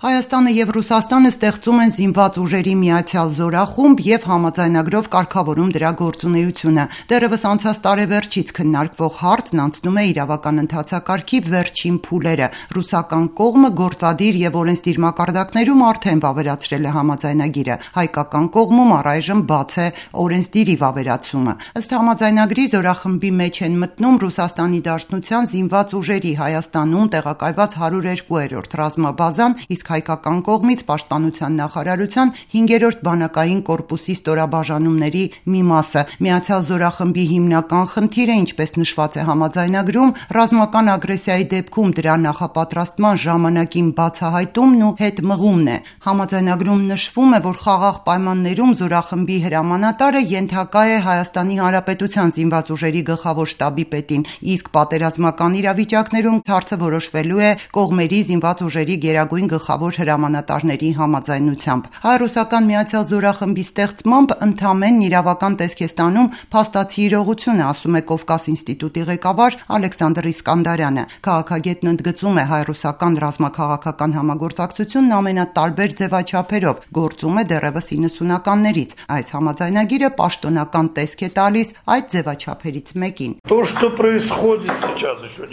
Հայաստանը եւ Ռուսաստանը ստեղծում են զինված ուժերի միացյալ զորախումբ եւ համաձայնագրով կարգավորում դրա գործունեությունը։ Դեռևս անցած տարեվերջից քննարկվող հարցն անցնում է իրավական ընթացակարգի վերջին փուլերը։ Ռուսական կողմը գործադիր եւ օրենսդիր մակարդակներում արդեն վավերացրել է համաձայնագիրը։ Հայկական կողմում առայժմ բաց է օրենսդիրի վավերացումը։ Ըստ համաձայնագրի զորախմբի մեջ են մտնում Ռուսաստանի Դաշնության զինված ուժերի Հայաստանում տեղակայված 102-րդ ռազմաբազան, իսկ հայկական կողմից պաշտպանության նախարարության 5-րդ բանակային կորպուսի ստորաբաժանումների մի մասը։ Միացյալ զորախմբի հիմնական խնդիրը, ինչպես նշված է համաձայնագրում, ռազմական ագրեսիայի դեպքում դրա նախապատրաստման ժամանակին բացահայտումն ու հետմղումն է։ Համաձայնագրում նշվում է, որ խաղաղ պայմաններում զորախմբի հրամանատարը ենթակա է Հայաստանի Հանրապետության զինված ուժերի գլխավոր շտաբի պետին, իսկ պատերազմական իրավիճակներում հարցը որոշվելու է կողմերի զինված ուժերի գերագույն գլխավոր հրամանատարների համաձայնությամբ։ Հայ-ռուսական միացյալ զորախմբի ստեղծմամբ ընդամենն իրավական տեսք է ստանում փաստացի իրողությունը, ասում է Կովկաս ինստիտուտի ղեկավար Ալեքսանդր Իսկանդարյանը։ Քաղաքագետն ընդգծում է հայ-ռուսական ռազմաքաղաքական համագործակցությունն ամենատարբեր ձևաչափերով գործում է դեռևս 90-ականներից։ Այս համաձայնագիրը պաշտոնական տեսք է տալիս այդ ձևաչափերից մեկին։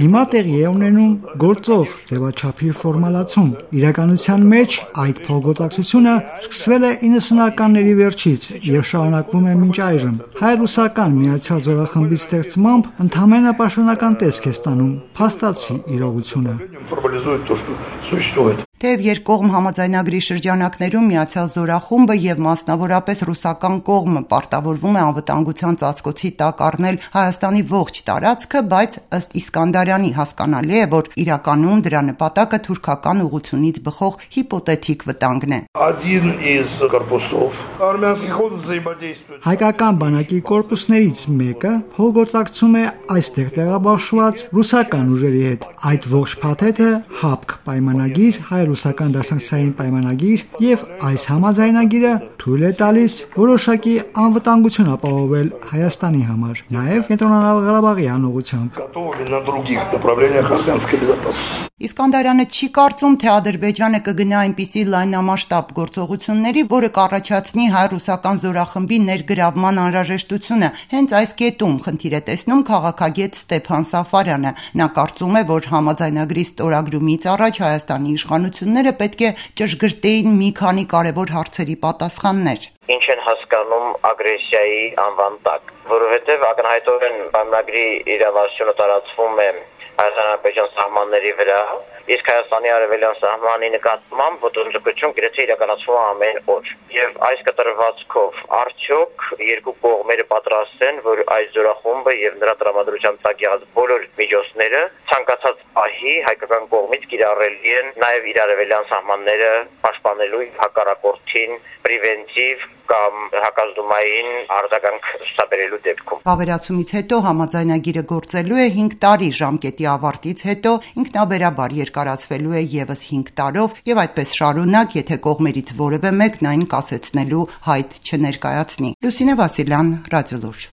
Հիմա տեղի է ունենում գործող ձևաչափի ֆորմալացում։ Իրականության մեջ այդ փոխգործակցությունը սկսվել է 90-ականների վերջից եւ շարունակվում է մինչ այժմ։ Հայ-ռուսական միացյալ զորախմբի ստեղծմամբ ընդամենը պաշտոնական տեսք է ստանում փաստացի իրողությունը։ Թեև երկկողմ համաձայնագրի շրջանակներում միացյալ զորախումբը եւ մասնավորապես ռուսական կողմը պարտավորվում է անվտանգության ծածկոցի տակ առնել Հայաստանի ողջ տարածքը, բայց ըստ Իսկանդարյանի հասկանալի է, որ իրականում դրա նպատակը թուրքական ուղղությունից բխող հիպոթետիկ վտանգն է։ Հայկական բանակի կորպուսներից մեկը փոխգործակցում է այստեղ տեղաբաշխված ռուսական ուժերի հետ։ Այդ ողջ փաթեթը ՀԱՊԿ պայմանագիր, հայ-ռուսական դաշնակցային պայմանագիր եւ այս համաձայնագիրը թույլ է տալիս որոշակի անվտանգություն ապահովել Հայաստանի համար, նաեւ Կենտրոնական Ղարաբաղի անուղղությամբ։ Իսկանդարյանը չի կարծում, թե Ադրբեջանը կգնա այնպիսի լայնամասշտաբ գործողությունների, որը կառաջացնի հայ-ռուսական զորախմբի ներգրավման անհրաժեշտությունը։ Հենց այս կետում խնդիր է տեսնում քաղաքագետ Ստեփան Սաֆարյանը։ Նա կարծում է, որ համաձայնագրի ստորագրումից առաջ Հայաստանի իշխանությունները պետք է ճշգրտեին մի քանի կարևոր հարցերի պատասխաններ։ Ինչ են հասկանում ագրեսիայի անվան տակ, որովհետև ակնհայտորեն պայմանագրի իրավասությունը տարածվում է Հայաստան-Ադրբեջան սահմանների վրա, իսկ Հայաստանի արևելյան սահմանի նկատմամբ ոտնձգություն գրեթե իրականացվում է ամեն օր։ Եվ այս կտրվածքով արդյոք երկու կողմերը պատրաստ են, որ այս զորախումբը եւ նրա տրամադրության տակ եղած բոլոր միջոցները ցանկացած պահի հայկական կողմից կիրառելի են նաեւ իր արևելյան սահմանները պաշտպանելու հակառակորդին պրևենտիվ կամ հակազդումային արձագանք ցուցաբերելու դեպքում։ Վավերացումից հետո համաձայնագիրը գործելու է 5 տարի, ժամկետի ավարտից հետո ինքնաբերաբար երկարացվելու է եւս 5 տարով եւ այդպես շարունակ, եթե կողմերից որևէ մեկն այն կասեցնելու հայտ չներկայացնի։ Լուսինե Վասիլյան, Ռադիոլուր։